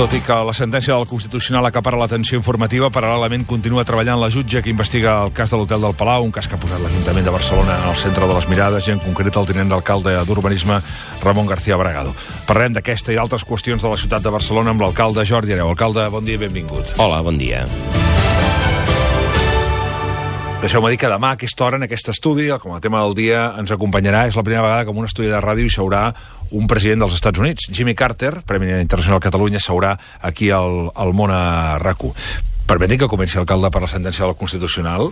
Tot i que la sentència del Constitucional acapara l'atenció informativa, paral·lelament continua treballant la jutge que investiga el cas de l'Hotel del Palau, un cas que ha posat l'Ajuntament de Barcelona al centre de les mirades i en concret el tinent d'alcalde d'Urbanisme, Ramon García Bragado. Parlem d'aquesta i d'altres qüestions de la ciutat de Barcelona amb l'alcalde Jordi Hereu. Alcalde, bon dia i benvingut. Hola, bon dia. Deixeu-me dir que demà a aquesta hora, en aquest estudi, com a tema del dia, ens acompanyarà, és la primera vegada que en un estudi de ràdio hi seurà un president dels Estats Units. Jimmy Carter, Premi Internacional Catalunya, seurà aquí al món a RAC1. Permeti que comenci, alcalde, per la sentència del Constitucional.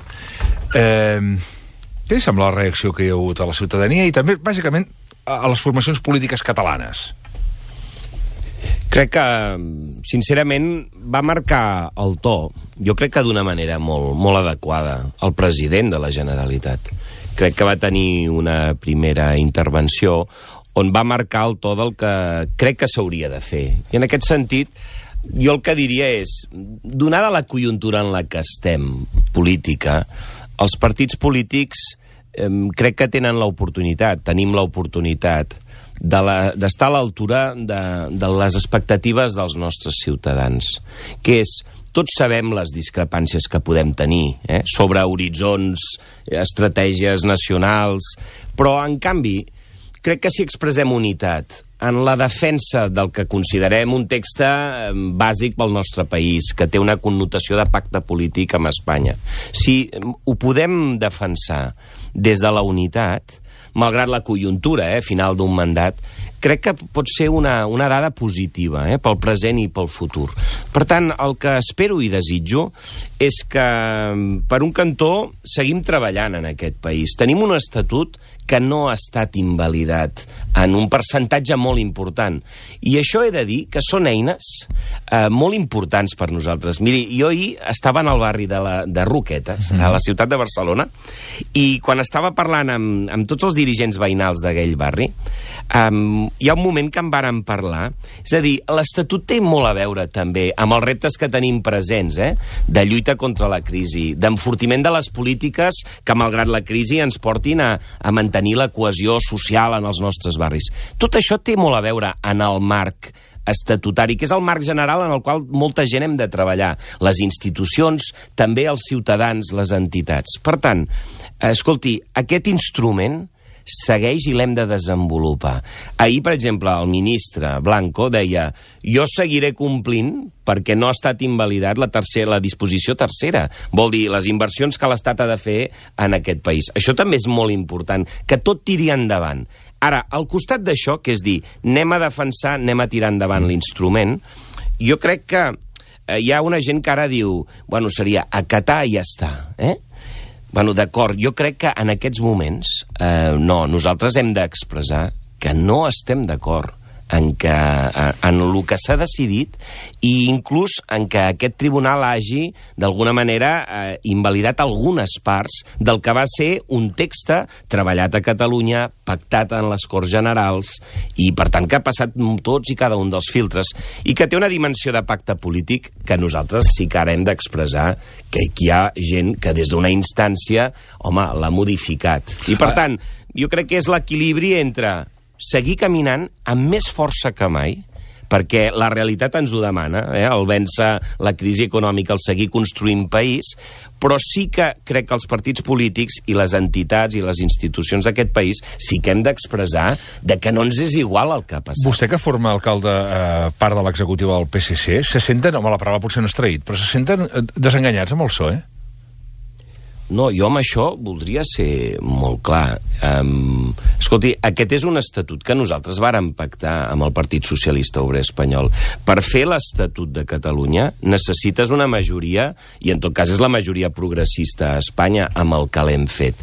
Què li sembla la reacció que hi ha hagut a la ciutadania i també, bàsicament, a les formacions polítiques catalanes? Crec que, sincerament, va marcar el to, jo crec que d'una manera molt adequada, el president de la Generalitat. Crec que va tenir una primera intervenció on va marcar el to del que crec que s'hauria de fer. I en aquest sentit, jo el que diria és, donada la conjuntura en la que estem, política, els partits polítics crec que tenen l'oportunitat, tenim l'oportunitat d'estar a l'altura de les expectatives dels nostres ciutadans, que és, tots sabem les discrepàncies que podem tenir sobre horitzons, estratègies nacionals, però, en canvi, crec que si expressem unitat en la defensa del que considerem un text bàsic pel nostre país, que té una connotació de pacte polític amb Espanya, si ho podem defensar des de la unitat, malgrat la conjuntura final d'un mandat, crec que pot ser una dada positiva pel present i pel futur. Per tant, el que espero i desitjo és que, per un cantó, seguim treballant en aquest país. Tenim un estatut que no ha estat invalidat en un percentatge molt important. I això he de dir que són eines molt importants per nosaltres. Miri, jo ahir estava en el barri de Roquetes, a la ciutat de Barcelona, i quan estava parlant amb tots els dirigents veïnals d'aquell barri, hi ha un moment que en vàrem parlar, és a dir, l'Estatut té molt a veure també amb els reptes que tenim presents, de lluita contra la crisi, d'enfortiment de les polítiques que, malgrat la crisi, ens portin a mantenir la cohesió social en els nostres barris. Tot això té molt a veure en el marc estatutari, que és el marc general en el qual molta gent hem de treballar. Les institucions, també els ciutadans, les entitats. Per tant, escolti, aquest instrument segueix i l'hem de desenvolupar. Ahir, per exemple, el ministre Blanco deia: jo seguiré complint perquè no ha estat invalidat la disposició tercera. Vol dir, les inversions que l'Estat ha de fer en aquest país. Això també és molt important, que tot tiri endavant. Ara, al costat d'això, que és dir, anem a defensar, anem a tirar endavant l'instrument, jo crec que hi ha una gent que ara diu, bueno, seria acatar i ja està, Bueno, d'acord, jo crec que en aquests moments, nosaltres hem d'expressar que no estem d'acord en el que s'ha decidit i inclús en que aquest tribunal hagi, d'alguna manera, invalidat algunes parts del que va ser un text treballat a Catalunya, pactat en les Corts Generals i, per tant, que ha passat tots i cada un dels filtres i que té una dimensió de pacte polític que nosaltres sí que ara hem d'expressar que hi ha gent que des d'una instància, home, l'ha modificat. I, per tant, jo crec que és l'equilibri entre seguir caminant amb més força que mai, perquè la realitat ens ho demana, el vèncer la crisi econòmica, el seguir construint país, però sí que crec que els partits polítics i les entitats i les institucions d'aquest país sí que hem d'expressar que no ens és igual el que ha passat. Vostè, que forma, alcalde, part de l'executiva del PSC, se senten, home, la paraula potser no és traït, però se senten desenganyats amb el PSOE? No, jo amb això voldria ser molt clar. Escolti, aquest és un estatut que nosaltres vàrem pactar amb el Partit Socialista Obrer Espanyol. Per fer l'Estatut de Catalunya necessites una majoria, i en tot cas és la majoria progressista a Espanya, amb el que l'hem fet.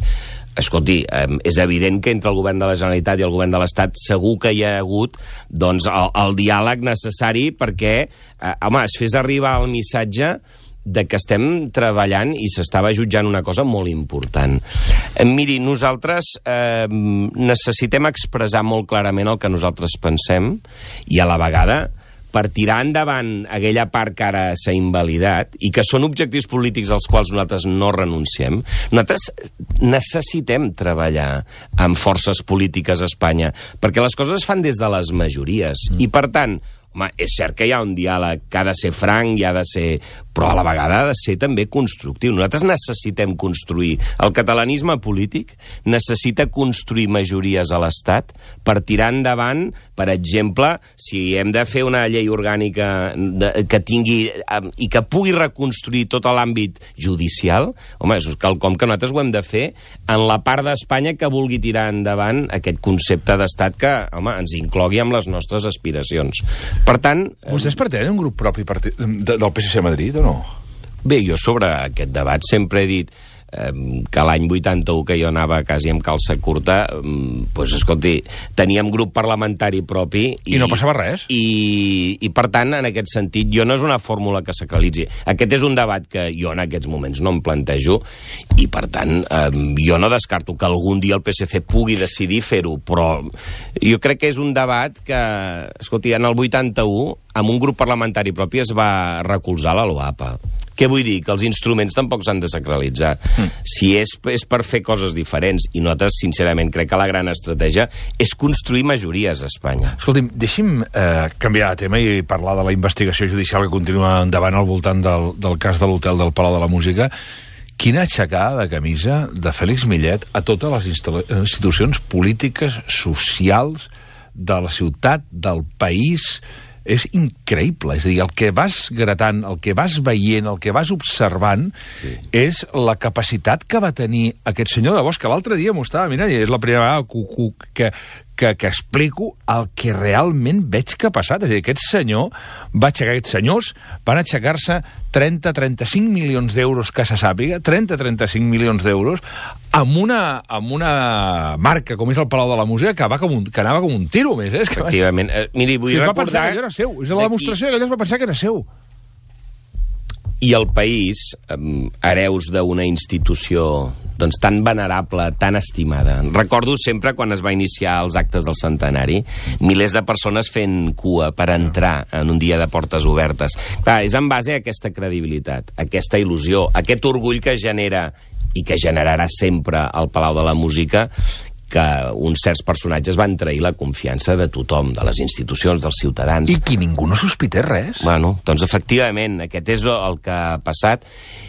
Escolti, és evident que entre el govern de la Generalitat i el govern de l'Estat segur que hi ha hagut el diàleg necessari perquè, es fes arribar el missatge de que estem treballant i s'estava jutjant una cosa molt important. Miri, nosaltres necessitem expressar molt clarament el que nosaltres pensem i a la vegada per tirar endavant aquella part que ara s'ha invalidat i que són objectius polítics als quals nosaltres no renunciem, nosaltres necessitem treballar amb forces polítiques a Espanya, perquè les coses es fan des de les majories. I, per tant, home, és cert que hi ha un diàleg que ha de ser franc i ha de ser... però a la vegada ha de ser també constructiu. Nosaltres necessitem construir. El catalanisme polític necessita construir majories a l'Estat per tirar endavant, per exemple, si hem de fer una llei orgànica que tingui i que pugui reconstruir tot l'àmbit judicial, home, és quelcom que nosaltres ho hem de fer en la part d'Espanya que vulgui tirar endavant aquest concepte d'estat que, home, ens inclogui amb les nostres aspiracions. Per tant... Vostès pertanyen a un grup propi del PSC a Madrid o no? Bé, jo sobre aquest debat sempre he dit que l'any 81, que jo anava quasi amb calça curta, doncs, escolti, teníem grup parlamentari propi... I no passava res. I per tant, en aquest sentit, jo no és una fòrmula que sacralitzi. Aquest és un debat que jo en aquests moments no em plantejo i, per tant, jo no descarto que algun dia el PSC pugui decidir fer-ho, però jo crec que és un debat que, escolti, en el 81, amb un grup parlamentari propi es va recolzar la LOAPA. Què vull dir? Que els instruments tampoc s'han de sacralitzar. Si és per fer coses diferents, i nosaltres, sincerament, crec que la gran estratègia és construir majories a Espanya. Escolti'm, deixi'm canviar de tema i parlar de la investigació judicial que continua endavant al voltant del cas de l'hotel del Palau de la Música. Quina aixecada de camisa de Félix Millet a totes les institucions polítiques, socials, de la ciutat, del país... És increïble, és a dir, el que vas gratant, el que vas veient, el que vas observant, és la capacitat que va tenir aquest senyor de Bosch, que l'altre dia m'ho estava mirant, i és la primera vegada que explico el que realment veig que ha passat. És a dir, aquests senyors van aixecar-se 30-35 milions d'euros que se sàpiga, 30-35 milions d'euros, amb una marca com és el Palau de la Música que anava com un tiro més. Efectivament. Miri, vull recordar... Que era seu. És la demostració que ell es va pensar que era seu. I el país, hereus d'una institució doncs, tan venerable, tan estimada. Recordo sempre quan es va iniciar els actes del centenari, milers de persones fent cua per entrar en un dia de portes obertes. Clar, és en base a aquesta credibilitat, aquesta il·lusió, aquest orgull que genera i que generarà sempre el Palau de la Música, que uns certs personatges van trair la confiança de tothom, de les institucions, dels ciutadans. I que ningú no sospités res. Bueno, doncs efectivament, aquest és el que ha passat,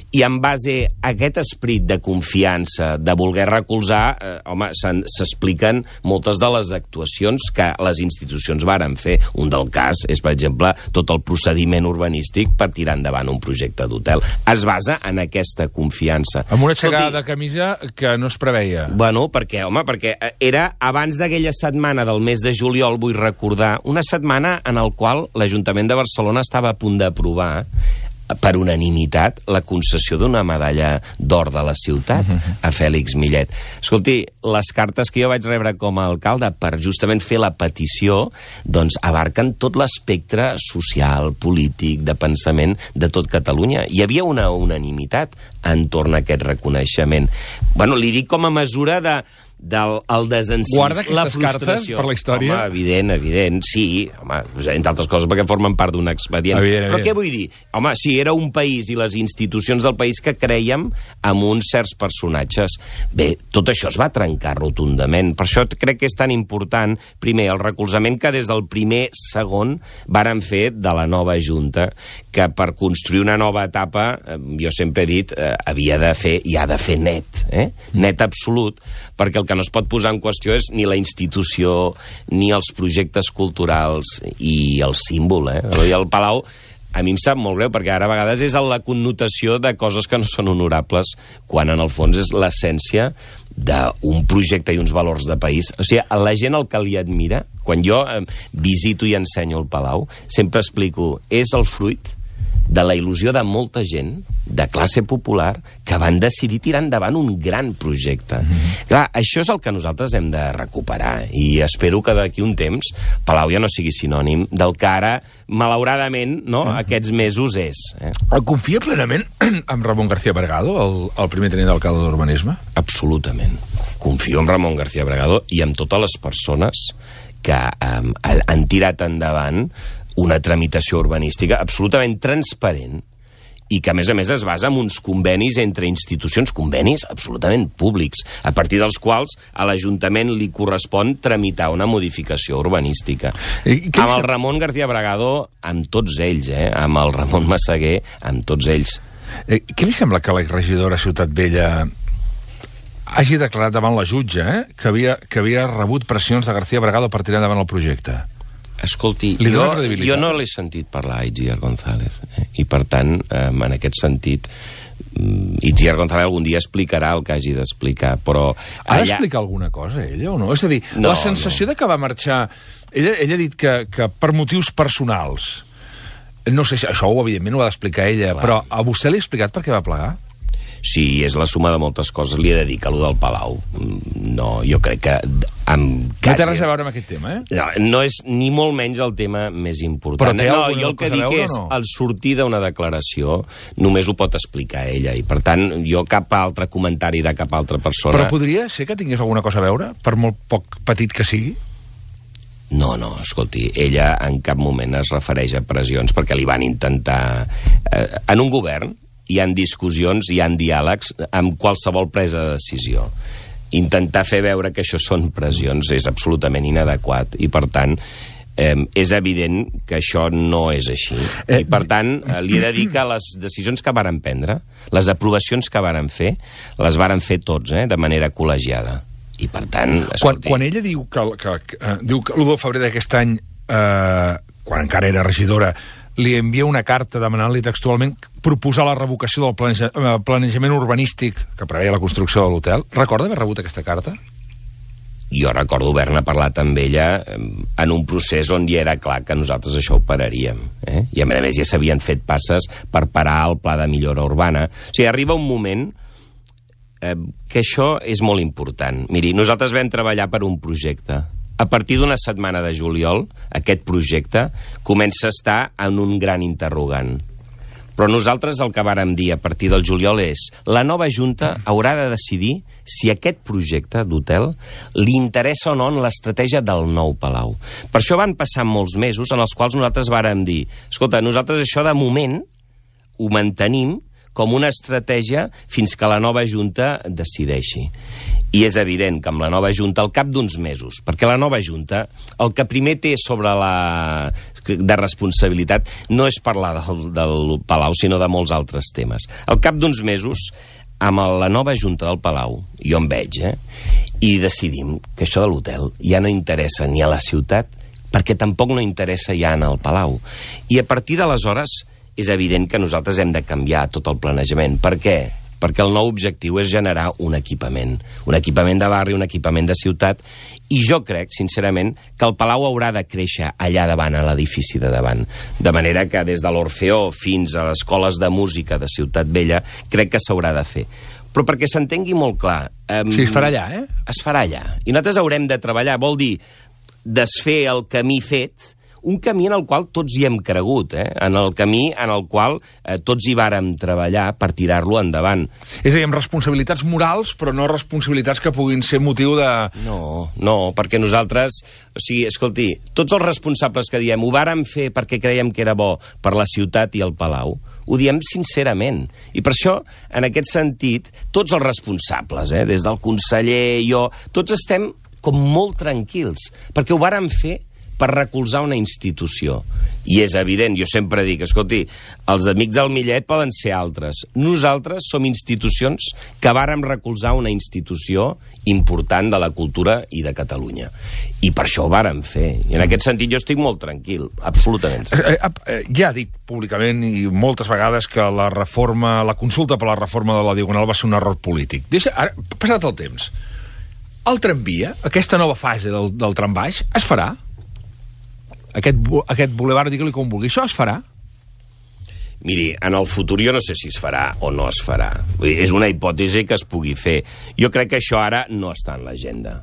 i en base a aquest esperit de confiança, de voler recolzar, home, s'expliquen moltes de les actuacions que les institucions varen fer. Un del cas és, per exemple, tot el procediment urbanístic per tirar endavant un projecte d'hotel. Es basa en aquesta confiança. Amb una aixecada de camisa que no es preveia. Bueno, perquè era abans d'aquella setmana del mes de juliol, vull recordar, una setmana en el qual l'Ajuntament de Barcelona estava a punt d'aprovar per unanimitat la concessió d'una medalla d'or de la ciutat a Félix Millet. Escolti, les cartes que jo vaig rebre com a alcalde per justament fer la petició, doncs abarquen tot l'espectre social, polític, de pensament de tot Catalunya. Hi havia una unanimitat entorn a aquest reconeixement. Bueno, li dic com a mesura del desencís, guarda la aquestes frustració. Cartes per la història? Home, evident, sí. Home, entre altres coses perquè formen part d'un expedient. Però què vull dir? Home, sí, era un país i les institucions del país que creiem en uns certs personatges. Bé, tot això es va trencar rotundament. Per això crec que és tan important, primer, el recolzament que des del primer segon varen fer de la nova Junta, que per construir una nova etapa, jo sempre he dit, havia de fer, i ha de fer net, net absolut, perquè el que no es pot posar en qüestió és ni la institució, ni els projectes culturals i el símbol. I el Palau, a mi em sap molt greu, perquè ara a vegades és la connotació de coses que no són honorables, quan en el fons és l'essència d'un projecte i uns valors de país. O sigui, a la gent el que li admira, quan jo visito i ensenyo el Palau, sempre explico, és el fruit de la il·lusió de molta gent, de classe popular, que van decidir tirar endavant un gran projecte. Clar, això és el que nosaltres hem de recuperar, i espero que d'aquí un temps Palau ja no sigui sinònim del que ara, malauradament, no, aquests mesos és. Confia plenament en Ramon García Bragado, el primer tenint d'alcalde d'Urbanisme? Absolutament. Confio en Ramon García Bragado i en totes les persones que han tirat endavant una tramitació urbanística absolutament transparent i que, a més es basa en uns convenis entre institucions, convenis absolutament públics, a partir dels quals a l'Ajuntament li correspon tramitar una modificació urbanística. Amb el Ramon García Bragado, amb tots ells, amb el Ramon Massaguer, amb tots ells. Què li sembla que la regidora Ciutat Vella hagi declarat davant la jutge que havia rebut pressions de García Bragado per tirar endavant el projecte? Escolti, jo no l'he sentit parlar a Itziar González, i per tant, en aquest sentit, Itziar González algun dia explicarà el que hagi d'explicar, però... Ha d'explicar alguna cosa, ella, o no? És a dir, la sensació de que va marxar... Ella ha dit que per motius personals... No sé si això, evidentment, ho ha d'explicar ella, però a vostè li ha explicat per què va plegar? Sí, és la suma de moltes coses. Li he de dir que allò del Palau, no, jo crec que... No té res a veure amb aquest tema, No és ni molt menys el tema més important. No, jo el que dic és, al sortir d'una declaració, només ho pot explicar ella, i per tant, jo cap altre comentari de cap altra persona... Però podria ser que tingués alguna cosa a veure, per molt poc petit que sigui? No, escolti, ella en cap moment es refereix a pressions perquè li van intentar... En un govern hi ha discussions, hi ha diàlegs amb qualsevol presa de decisió. Intentar fer veure que això són pressions és absolutament inadequat i, per tant, és evident que això no és així. I, per tant, li he de dir que les decisions que varen prendre, les aprovacions que varen fer, les varen fer tots, de manera col·legiada. I, per tant, escolti... Quan ella diu que l'1 de febrer d'aquest any, quan encara era regidora, li envia una carta demanant-li textualment proposar la revocació del planejament urbanístic que preveia la construcció de l'hotel. Recorda haver rebut aquesta carta? Jo recordo haver-ne parlat amb ella en un procés on ja era clar que nosaltres això ho pararíem. I, a més, ja s'havien fet passes per parar el pla de millora urbana. O sigui, arriba un moment que això és molt important. Miri, nosaltres vam treballar per un projecte. A partir d'una setmana de juliol, aquest projecte comença a estar en un gran interrogant. Però nosaltres el que vàrem dir a partir del juliol és la nova Junta haurà de decidir si aquest projecte d'hotel li interessa o no en l'estratègia del nou Palau. Per això van passar molts mesos en els quals nosaltres vàrem dir escolta, nosaltres això de moment ho mantenim com una estratègia fins que la nova Junta decideixi. I és evident que amb la nova Junta, al cap d'uns mesos, perquè la nova Junta, el que primer té sobre de responsabilitat no és parlar del Palau, sinó de molts altres temes. Al cap d'uns mesos, amb la nova Junta del Palau, jo em veig, i decidim que això de l'hotel ja no interessa ni a la ciutat, perquè tampoc no interessa ja en el Palau. I a partir d'aleshores és evident que nosaltres hem de canviar tot el planejament. Per què? Perquè el nou objectiu és generar un equipament de barri, un equipament de ciutat, i jo crec, sincerament, que el Palau haurà de créixer allà davant, a l'edifici de davant. De manera que des de l'Orfeó fins a les escoles de música de Ciutat Vella, crec que s'haurà de fer. Però perquè s'entengui molt clar... Sí, es farà allà, Es farà allà. I nosaltres haurem de treballar, vol dir desfer el camí fet, un camí en el qual tots hi hem cregut, en el camí en el qual tots hi vàrem treballar per tirar-lo endavant. És a dir, amb responsabilitats morals, però no responsabilitats que puguin ser motiu de... No, perquè nosaltres... O sigui, escolti, tots els responsables que diem ho vàrem fer perquè creiem que era bo per la ciutat i el Palau, ho diem sincerament. I per això, en aquest sentit, tots els responsables, des del conseller, jo, tots estem com molt tranquils, perquè ho vàrem fer per recolzar una institució. I és evident, jo sempre dic, escolti, els amics del Millet poden ser altres. Nosaltres som institucions que vàrem recolzar una institució important de la cultura i de Catalunya. I per això ho vàrem fer. I en aquest sentit jo estic molt tranquil, absolutament tranquil. Ja ha dit públicament i moltes vegades que la consulta per la reforma de la Diagonal va ser un error polític. Ara, passat el temps, el tramvia, aquesta nova fase del trambaix, es farà? Aquest bulevard, digue-li com vulgui, això es farà? Miri, en el futur jo no sé si es farà o no es farà. És una hipòtesi que es pugui fer. Jo crec que això ara no està en l'agenda.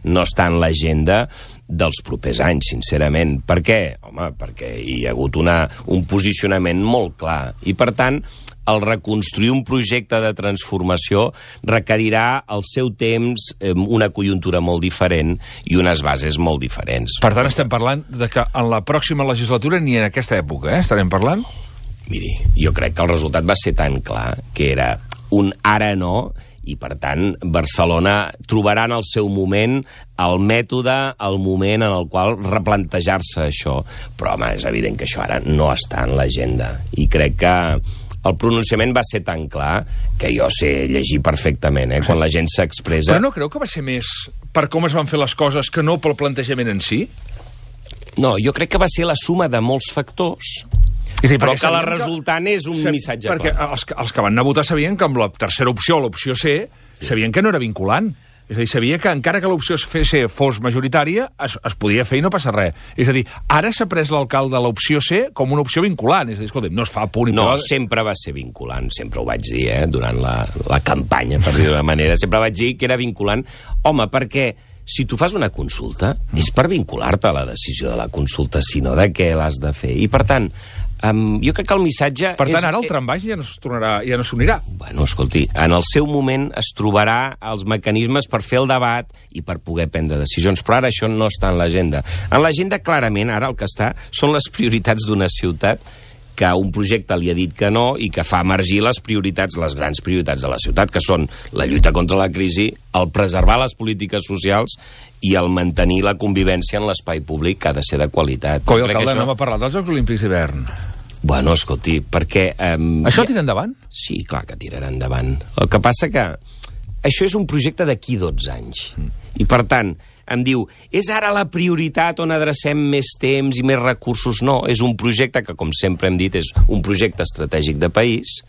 No està en l'agenda dels propers anys, sincerament. Per què? Home, perquè hi ha hagut un posicionament molt clar. I, per tant, el reconstruir un projecte de transformació requerirà el seu temps, una conjuntura molt diferent i unes bases molt diferents. Per tant, estem parlant de que en la pròxima legislatura ni en aquesta època, estarem parlant? Miri, jo crec que el resultat va ser tan clar que era un ara no, i per tant Barcelona trobarà en el seu moment el mètode, el moment en el qual replantejar-se això. Però, home, és evident que això ara no està en l'agenda. I crec que el pronunciament va ser tan clar que jo sé llegir perfectament, quan la gent s'expressa. Però no creu que va ser més per com es van fer les coses que no pel plantejament en si? No, jo crec que va ser la suma de molts factors, però que la resultant és un missatge clar. Perquè els que van anar a votar sabien que amb la tercera opció, l'opció C, sabien que no era vinculant. És a dir, sabia que encara que l'opció C fos majoritària, es podia fer i no passa res. És a dir, ara s'ha pres l'alcalde de l'opció C com una opció vinculant. És a dir, escolta, no es fa punt i no, sempre va ser vinculant, sempre ho vaig dir, durant la campanya, per dir d'una manera. Sempre vaig dir que era vinculant. Home, perquè si tu fas una consulta, és per vincular-te a la decisió de la consulta, sinó de què l'has de fer. I, per tant, jo crec que el missatge... Per tant, ara el trambaix ja no s'unirà. Bueno, escolti, en el seu moment es trobarà els mecanismes per fer el debat i per poder prendre decisions, però ara això no està en l'agenda. En l'agenda, clarament, ara el que està són les prioritats d'una ciutat que un projecte li ha dit que no i que fa emergir les prioritats, les grans prioritats de la ciutat, que són la lluita contra la crisi, el preservar les polítiques socials i el mantenir la convivència en l'espai públic, que ha de ser de qualitat. Coi, alcalde, no m'ha parlat dels Jocs Olímpics d'hivern. Bueno, escolti, perquè... Això tira endavant? Sí, clar que tirarà endavant. El que passa que això és un projecte d'aquí 12 anys. I, per tant, em diu, és ara la prioritat on adrecem més temps i més recursos? No, és un projecte que, com sempre hem dit, és un projecte estratègic de país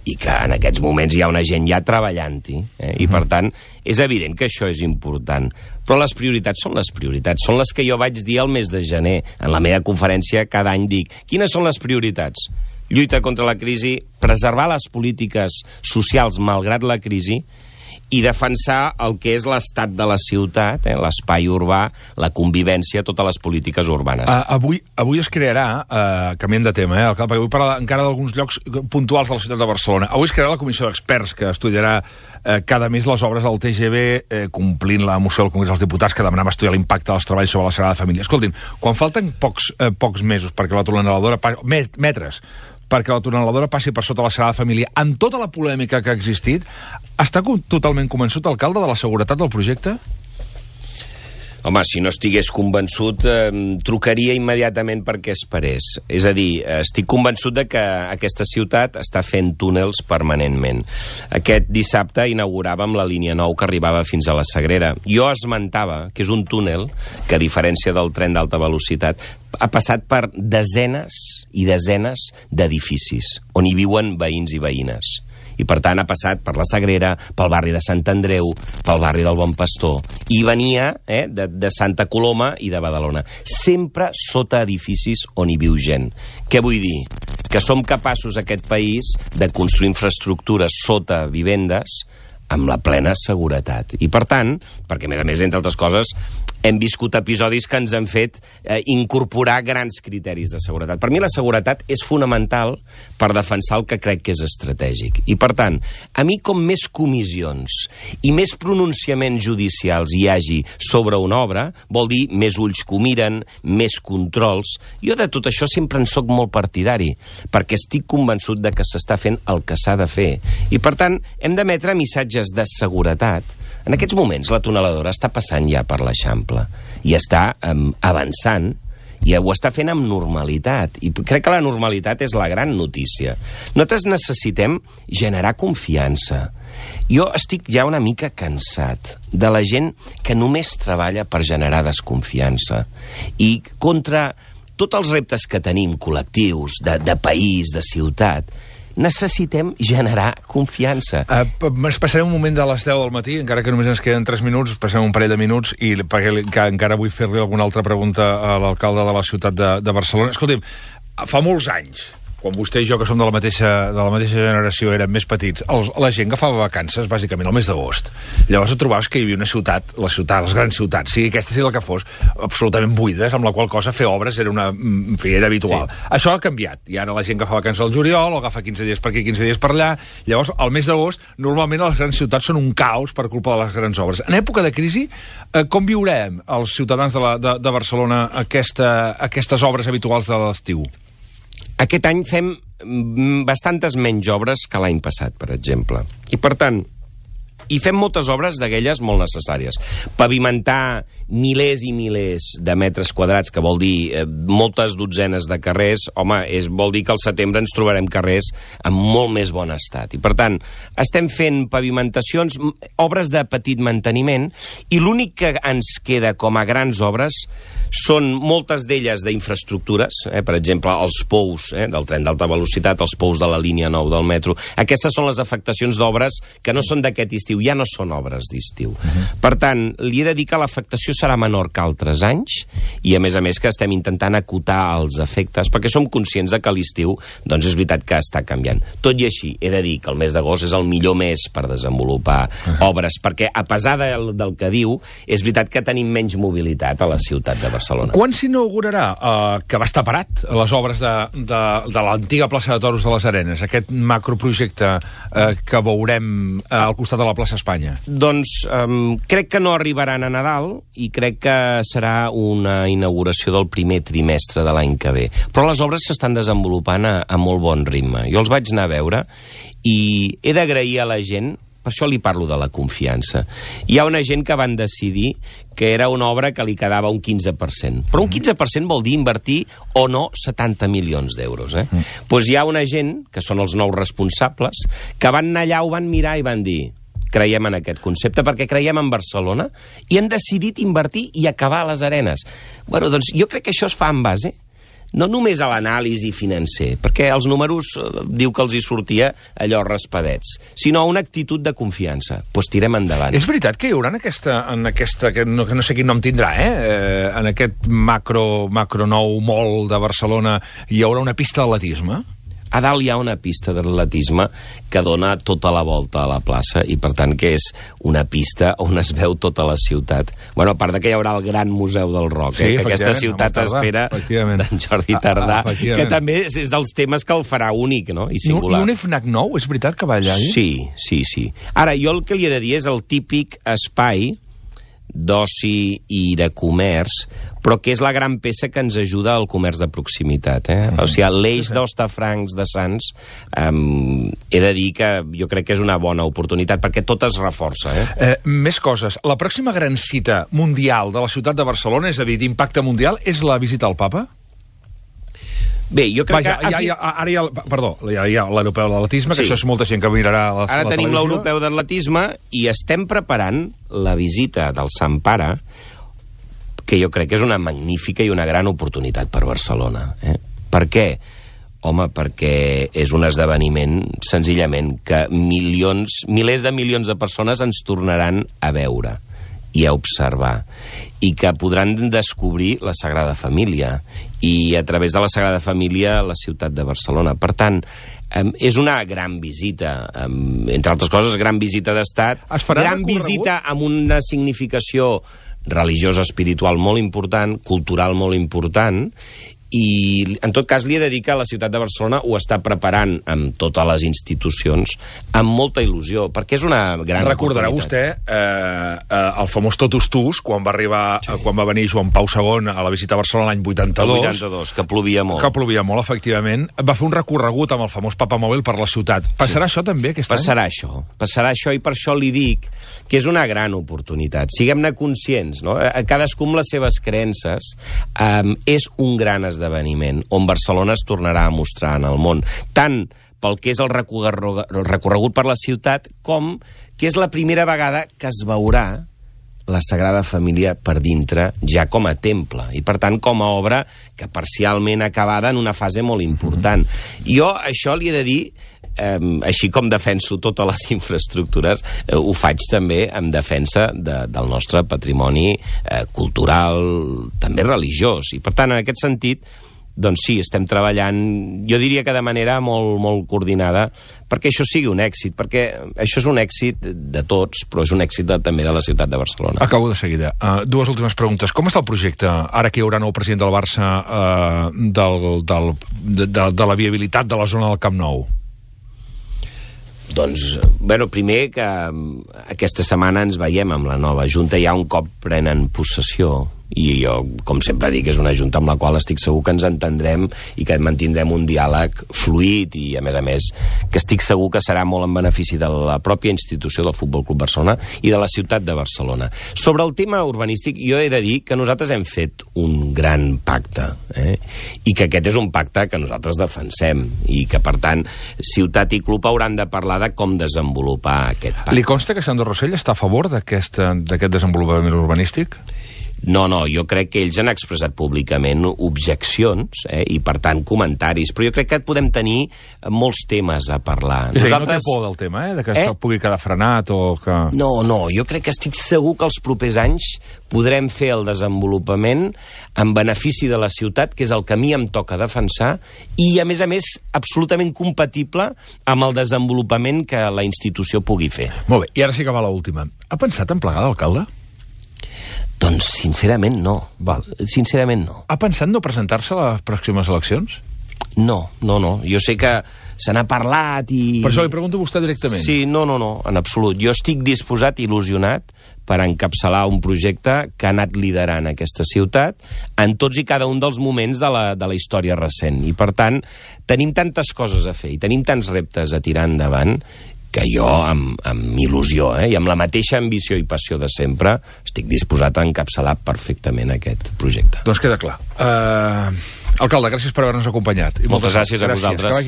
i que en aquests moments hi ha una gent ja treballant-hi. I, per tant, és evident que això és important. Però les prioritats són les que jo vaig dir el mes de gener. En la meva conferència cada any dic, quines són les prioritats? Lluita contra la crisi, preservar les polítiques socials malgrat la crisi, i defensar el que és l'estat de la ciutat, l'espai urbà, la convivència, totes les polítiques urbanes. Avui es crearà, canviem de tema, perquè vull parlar encara d'alguns llocs puntuals de la ciutat de Barcelona. Avui es crearà la comissió d'experts que estudiarà cada mes les obres del TGV, complint la moció del Congrés dels Diputats que demanava estudiar l'impacte dels treballs sobre la Sagrada Família. Escoltin, quan falten pocs mesos perquè la tuneladora metres, perquè la tuneladora passi per sota la Sagrada Família, amb tota la polèmica que ha existit, està totalment convençut l'alcalde de la seguretat del projecte? Home, si no estigués convençut, trucaria immediatament perquè esperés. És a dir, estic convençut de que aquesta ciutat està fent túnels permanentment. Aquest dissabte inauguràvem la línia 9 que arribava fins a la Sagrera. Jo esmentava que és un túnel que, a diferència del tren d'alta velocitat, ha passat per desenes i desenes d'edificis on hi viuen veïns i veïnes. I, per tant, ha passat per la Sagrera, pel barri de Sant Andreu, pel barri del Bon Pastor, i venia de Santa Coloma i de Badalona. Sempre sota edificis on hi viu gent. Què vull dir? Que som capaços, aquest país, de construir infraestructures sota vivendes amb la plena seguretat. I, per tant, perquè, a més, entre altres coses, hem viscut episodis que ens han fet incorporar grans criteris de seguretat. Per mi la seguretat és fonamental per defensar el que crec que és estratègic. I, per tant, a mi com més comissions i més pronunciaments judicials hi hagi sobre una obra, vol dir més ulls que ho miren, més controls. Jo de tot això sempre en soc molt partidari, perquè estic convençut de que s'està fent el que s'ha de fer. I, per tant, hem d'emetre missatges de seguretat. En aquests moments la tuneladora està passant ja per l'Eixample i està avançant i ho està fent amb normalitat. I crec que la normalitat és la gran notícia. Nosaltres necessitem generar confiança. Jo estic ja una mica cansat de la gent que només treballa per generar desconfiança. I contra tots els reptes que tenim, col·lectius, de país, de ciutat, necessitem generar confiança. Ens passarem un moment de les 10 del matí, encara que només ens queden 3 minuts, passarem un parell de minuts, i perquè encara vull fer-li alguna altra pregunta a l'alcalde de la ciutat de Barcelona. Escolti'm, fa molts anys, quan vostè i jo, que som de la mateixa generació, érem més petits, la gent agafava vacances, bàsicament, al mes d'agost. Llavors et trobaves que hi havia una ciutat, les grans ciutats, sigui aquesta sigui la que fos, absolutament buides, amb la qual cosa fer obres era era habitual. Sí. Això ha canviat, i ara la gent agafa vacances al juliol, o agafa 15 dies per aquí, 15 dies per allà. Llavors, al mes d'agost, normalment les grans ciutats són un caos per culpa de les grans obres. En època de crisi, com viurem els ciutadans de Barcelona aquestes obres habituals de l'estiu? Aquest any fem bastantes menys obres que l'any passat, per exemple. I, per tant, i fem moltes obres d'aquelles molt necessàries. Pavimentar milers i milers de metres quadrats, que vol dir moltes dotzenes de carrers, home, vol dir que al setembre ens trobarem carrers en molt més bon estat. I, per tant, estem fent pavimentacions, obres de petit manteniment, i l'únic que ens queda com a grans obres són moltes d'elles d'infraestructures, per exemple, els pous del tren d'alta velocitat, els pous de la línia 9 del metro. Aquestes són les afectacions d'obres que no són d'aquest estiu, ja no són obres d'estiu. Per tant, li he de dir que l'afectació serà menor que altres anys i, a més, que estem intentant acotar els efectes, perquè som conscients de que l'estiu, doncs és veritat que està canviant. Tot i així, he de dir que el mes d'agost és el millor mes per desenvolupar obres, perquè, a pesar del que diu, és veritat que tenim menys mobilitat a la ciutat de Barcelona. Quan s'inaugurarà, que va estar parat, les obres de l'antiga plaça de Toros de les Arenes, aquest macroprojecte que veurem al costat de la plaça Espanya? Doncs crec que no arribaran a Nadal i crec que serà una inauguració del primer trimestre de l'any que ve. Però les obres s'estan desenvolupant a molt bon ritme. Jo els vaig anar a veure i he d'agrair a la gent, per això li parlo de la confiança. Hi ha una gent que van decidir que era una obra que li quedava un 15%. Però un 15% vol dir invertir o no 70 milions d'euros. Doncs hi ha una gent, que són els nous responsables, que van anar allà, ho van mirar i van dir: creiem en aquest concepte perquè creiem en Barcelona i han decidit invertir i acabar a les Arenes. Bueno, doncs jo crec que això es fa en base no només a l'anàlisi financer, perquè els números diu que els hi sortia allò raspadets, sinó a una actitud de confiança. Doncs tirem endavant. És veritat que hi haurà en aquesta que no sé quin nom tindrà, en aquest macro nou mall de Barcelona, hi haurà una pista d'atletisme? A dalt hi ha una pista d'atletisme que dona tota la volta a la plaça i, per tant, que és una pista on es veu tota la ciutat. Bueno, a part de que hi haurà el gran Museu del Rock, que aquesta ciutat espera d'en Jordi Tardà, que també és dels temes que el farà únic, no? I singular. I un FNAC nou, és veritat que va allà? Sí. Ara, jo el que li he de dir és el típic espai d'oci i de comerç, però que és la gran peça que ens ajuda al comerç de proximitat. O sigui, l'eix d'Hostafrancs de Sants, he de dir que jo crec que és una bona oportunitat, perquè tot es reforça. Més coses. La pròxima gran cita mundial de la ciutat de Barcelona, és a dir, d'impacte mundial, és la visita al papa? Bé, jo crec que... Ara hi ha l'europeu d'atletisme, que això és molta gent que mirarà la televisió. Ara tenim l'europeu d'atletisme i estem preparant la visita del Sant Pare, que jo crec que és una magnífica i una gran oportunitat per Barcelona. Per què? Home, perquè és un esdeveniment, senzillament, que milers de milions de persones ens tornaran a veure i a observar, i que podran descobrir la Sagrada Família, i a través de la Sagrada Família la ciutat de Barcelona. Per tant, és una gran visita, entre altres coses, gran visita d'estat, gran visita amb una significació religiosa, espiritual molt important, cultural molt important, i en tot cas li he de dir que la ciutat de Barcelona ho està preparant amb totes les institucions amb molta il·lusió, perquè és una gran Recordarà vostè el famós Totus Tus, quan va venir Joan Pau II a la visita a Barcelona l'any 82. El 82, que plovia molt. Que plovia molt, efectivament. Va fer un recorregut amb el famós papamòbil per la ciutat. Passarà això també aquest any? Passarà això, i per això li dic que és una gran oportunitat. Siguem-ne conscients, no? Cadascú amb les seves creences. És un gran esdeveniment on Barcelona es tornarà a mostrar en el món, tant pel que és el recorregut per la ciutat, com que és la primera vegada que es veurà la Sagrada Família per dintre, ja com a temple, i per tant com a obra que parcialment acabada en una fase molt important. Jo això li he de dir, així com defenso totes les infraestructures, ho faig també en defensa del nostre patrimoni cultural, també religiós, i per tant, en aquest sentit, doncs sí, estem treballant, jo diria que de manera molt, molt coordinada, perquè això sigui un èxit, perquè això és un èxit de tots, però és un èxit també de la ciutat de Barcelona. Acabo de seguida. Dues últimes preguntes. Com està el projecte, ara que hi haurà nou president del Barça, de la viabilitat de la zona del Camp Nou? Doncs, bueno, primer que aquesta setmana ens veiem amb la nova Junta, ja un cop prenen possessió, I jo, com sempre dic, és una junta amb la qual estic segur que ens entendrem i que mantindrem un diàleg fluid i, a més, que estic segur que serà molt en benefici de la pròpia institució del Futbol Club Barcelona i de la ciutat de Barcelona. Sobre el tema urbanístic, jo he de dir que nosaltres hem fet un gran pacte, i que aquest és un pacte que nosaltres defensem i que, per tant, ciutat i club hauran de parlar de com desenvolupar aquest pacte. Li consta que Sandro Rosell està a favor d'aquest desenvolupament urbanístic? No, jo crec que ells han expressat públicament objeccions, i per tant comentaris, però jo crec que podem tenir molts temes a parlar. És a dir, no té por del tema, de que pugui quedar frenat o que... No, jo crec que estic segur que els propers anys podrem fer el desenvolupament en benefici de la ciutat, que és el que a mi em toca defensar, i a més, absolutament compatible amb el desenvolupament que la institució pugui fer. Molt bé, i ara sí que va l'última. Ha pensat en plegar d'alcalde? Doncs, sincerament, no. Sincerament, no. Ha pensat no presentar-se a les pròximes eleccions? No. Jo sé que se n'ha parlat i... Per això li pregunto a vostè directament. Sí, no, en absolut. Jo estic disposat, il·lusionat, per encapçalar un projecte que ha anat liderant aquesta ciutat en tots i cada un dels moments de la història recent. I, per tant, tenim tantes coses a fer i tenim tants reptes a tirar endavant que jo, amb il·lusió, i amb la mateixa ambició i passió de sempre, estic disposat a encapçalar perfectament aquest projecte. Doncs queda clar. Alcalde, gràcies per haver-nos acompanyat. Moltes gràcies a vosaltres.